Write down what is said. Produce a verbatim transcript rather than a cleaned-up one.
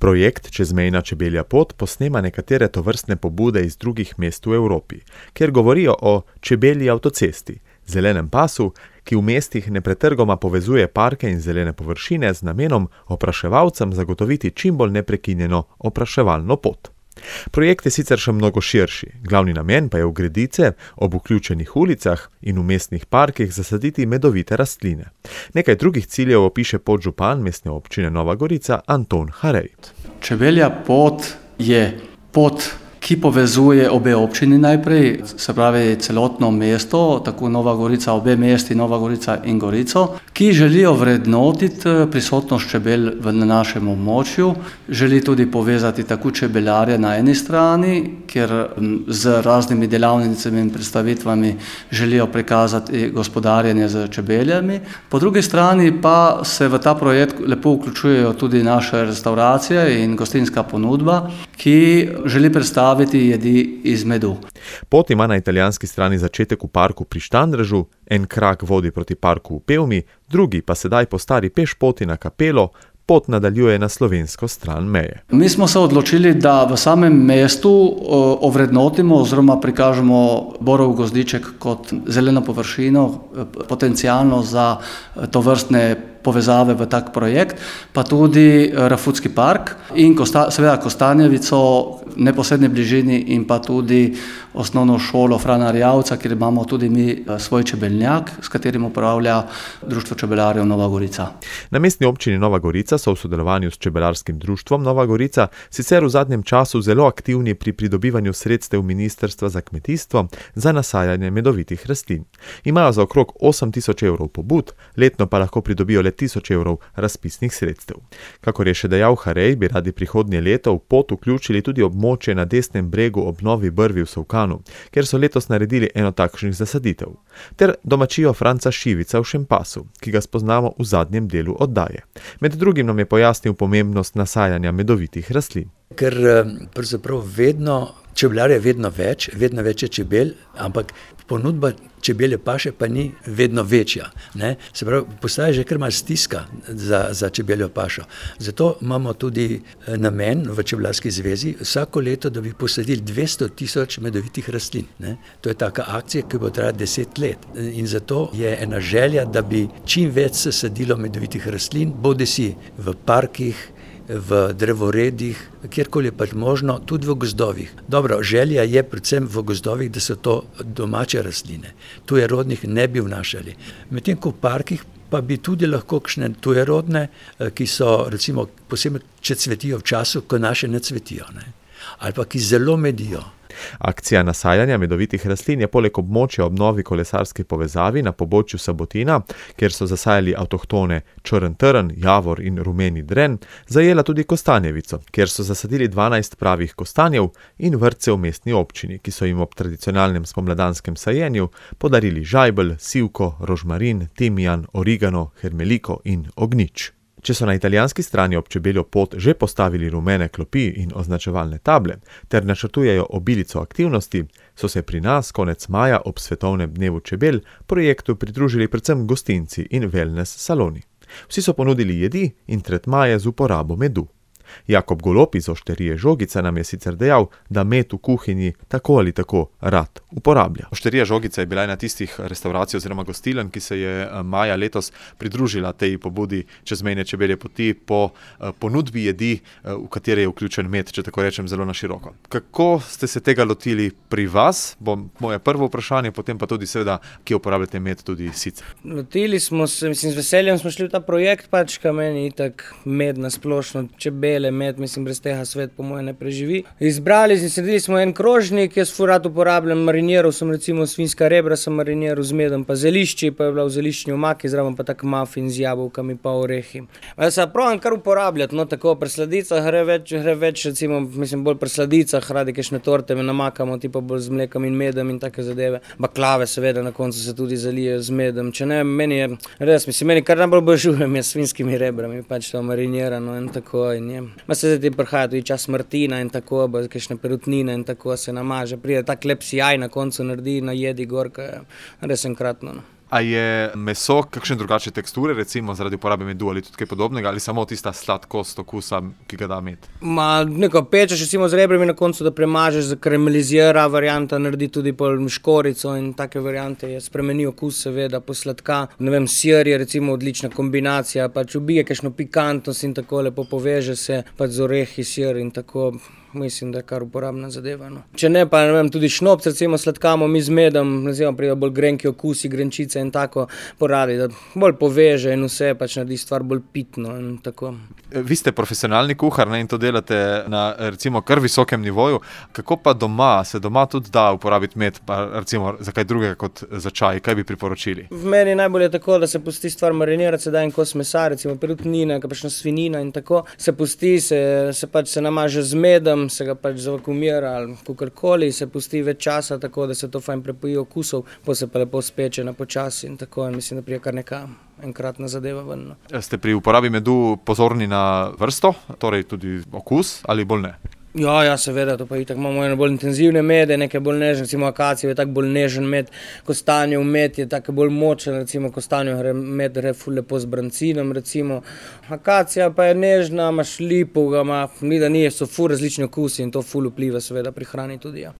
Projekt Čezmejna čebelja pot posnema nekatere tovrstne pobude iz drugih mest v Evropi, kjer govorijo o čebelji avtocesti, zelenem pasu, ki v mestih nepretrgoma povezuje parke in zelene površine z namenom opraševalcem zagotoviti čim bolj neprekinjeno opraševalno pot. Projekt je sicer še mnogo širši, glavni namen pa je v gredice, ob vključenih ulicah in v mestnih parkih zasaditi medovite rastline. Nekaj drugih ciljev opiše podžupan mestne občine Nova Gorica Anton Harej. Čebelja pot je pot, ki povezuje obe občini najprej, se pravi celotno mesto, tako Nova Gorica, obe mesti, Nova Gorica in Gorico, ki želijo vrednotiti prisotnost čebel na našem območju, želi tudi povezati tako čebelarje na eni strani, ker z raznimi delavnicami in predstavitvami želijo prikazati gospodarjenje z čebeljami. Po drugi strani pa se v ta projekt lepo vključujejo tudi naše restauracije in gostinska ponudba, ki želi predstaviti jedi iz medu. Pot ima na italijanski strani začetek v parku pri Štandrežu, en krak vodi proti parku v Pevmi, drugi pa sedaj po stari pešpoti na Kapelo, pot nadaljuje na slovensko stran meje. Mi smo se odločili, da v samem mestu ovrednotimo oziroma prikažemo Borov gozdiček kot zeleno površino, potencialno za tovrstne povezave v tak projekt, pa tudi Rafutski park in kosta, seveda Kostanjevico v neposredni bližini in pa tudi osnovno šolo Frana Erjavca, kjer imamo tudi mi svoj čebeljak, s katerim upravlja Društvo čebelarjev Nova Gorica. Na mestni občini Nova Gorica so v sodelovanju s Čebelarskim društvom Nova Gorica sicer v zadnjem času zelo aktivni pri pridobivanju sredstev Ministrstva za kmetijstvo za nasajanje medovitih rastlin. Imajo za okrog osem tisoč evrov pobud, letno pa lahko pridobijo le tisoč evrov razpisnih sredstev. Kakor je še dejal Harej, bi radi prihodnje leto v pot vključili tudi območje na desnem bregu ob Novi Brvi v Solkanu, kjer so letos naredili eno takšnih zasaditev, ter domačijo Franca Šivica v Šempasu, ki ga spoznamo v zadnjem delu oddaje. Med drugim nam je pojasnil pomembnost nasajanja medovitih rastlin. Ker pravzaprav vedno, čebelarje vedno več, vedno več je čebel, ampak ponudba čebelje paše pa ni vedno večja. Ne? Se pravi, postaja že kar malo stiska za, za čebeljo pašo. Zato imamo tudi namen v Čebelarski zvezi vsako leto, da bi posadili dvesto tisoč medovitih rastlin. Ne? To je taka akcija, ki bo trajala deset let. In zato je ena želja, da bi čim več se sadilo medovitih rastlin, bodisi v parkih, v drevoredih, kjerkoli je pač možno, tudi v gozdovih. Dobro, želja je predvsem v gozdovih, da so to domače rastline. Tujerodnih ne bi vnašali. Medtem ko v parkih pa bi tudi lahko kakšne tujerodne, ki so recimo posebej, če cvetijo v času, ko naše ne cvetijo, ne? Ali pa ki zelo medijo. Akcija nasajanja medovitih rastlin je poleg območja ob novi kolesarski povezavi na pobočju Sabotina, kjer so zasajali avtohtone črn trn, javor in rumeni dren, zajela tudi Kostanjevico, kjer so zasadili dvanajst pravih kostanjev in vrtce v mestni občini, ki so jim ob tradicionalnem spomladanskem sajenju podarili žajbelj, sivko, rožmarin, timijan, origano, hermeliko in ognjič. Če so na italijanski strani ob čebeljo pot že postavili rumene klopi in označevalne table ter načrtujejo obilico aktivnosti, so se pri nas konec maja ob svetovnem dnevu čebel projektu pridružili predvsem gostinci in wellness saloni. Vsi so ponudili jedi in tretmaje z uporabo medu. Jakob Golob iz Ošterije Žogica nam je sicer dejal, da med v kuhinji tako ali tako rad uporablja. Ošterija Žogica je bila ena tistih restavracij oziroma gostiln, ki se je maja letos pridružila tej pobudi Čezmejne čebelje poti po ponudbi jedi, v katere je vključen med, če tako rečem, zelo na široko. Kako ste se tega lotili pri vas? Bo moje prvo vprašanje, potem pa tudi seveda, kje uporabljate med tudi sicer. Lotili smo se, mislim, z veseljem smo šli v ta projekt, pač ka meni itak med na splošno čebel med, mislim, brez tega svet po moje ne preživi. Izbrali in sredili smo en krožnik, jaz ful rad uporabljam, mariniral sem recimo svinjska rebra, sem mariniral z medom pa zelišči, pa je bila v zeliščni omaki, zraven pa tak muffin z jabolkami pa orehi. Jaz se probam kar uporabljati, no tako pri sladicah gre več, gre več recimo, mislim, bolj pri sladicah, radi kakšne torte me namakamo, tipo bolj z mlekom in medom in take zadeve. Baklave seveda na koncu se tudi zalijejo z medom, če ne, meni je res, mislim, meni kar najbolj božujem je s svinjskimi rebrami, pač to marinirano in tako in je. Ma se zdaj prihaja tudi čas Martina in tako, bo kakšne perutnine in tako se namaže. Pride tak lep sijaj na koncu naredi na jedi gor, res enkratno. No. A je meso kakšne drugačne teksture, recimo zaradi uporabe medu ali tudi kaj podobnega, ali samo tista sladkost okusa, ki ga da med? Ma, neko pečeš recimo z rebrami na koncu, da premažeš, zakaramelizira varianta, naredi tudi pol škorico in take variante je spremeni okus, seveda posladka. Ne vem, sir je recimo odlična kombinacija, pač ubije kakšno pikantnost in tako lepo poveže se pač z orehi, sir in tako. Mislim, da je kar uporabna zadeva. No. Če ne, pa ne vem, tudi šnopc recimo sladkamo mi z medom, recimo pride bolj grenki okusi, grenčice in tako poradi, da bolj poveže in vse pač naredi stvar bolj pitno in tako. Vi ste profesionalni kuhar, ne, in to delate na recimo kar visokem nivoju. Kako pa doma? Se doma tudi da uporabiti med, pa recimo za kaj drugega kot za čaj? Kaj bi priporočili? V meni najbolje je tako, da se pusti stvar marinirati, se da en kos mesa, recimo perutnina, kakšna svinina in tako. Se pusti, se, se pač se namaže z medom, se ga pač zavakumira ali kakorkoli, se pusti več časa, tako da se to fajn prepoji okusov, pa se pa lepo speče na počasi in tako, in mislim, da prije kar neka enkratna zadeva ven. No. Ste pri uporabi medu pozorni na vrsto, torej tudi okus, ali bolj ne? Ja, ja, seveda, to pa itak imamo eno bolj intenzivne mede, nekaj bolj nežne, recimo akacijev je tak bolj nežen med, kostanjev med je tak bolj močen, recimo kostanjev gre med gre ful lepo z brancinom, recimo. Akacija pa je nežna, imaš lipo, ga ima, ni da ni, so ful različni okusi in to ful vpliva seveda pri hrani tudi, ja.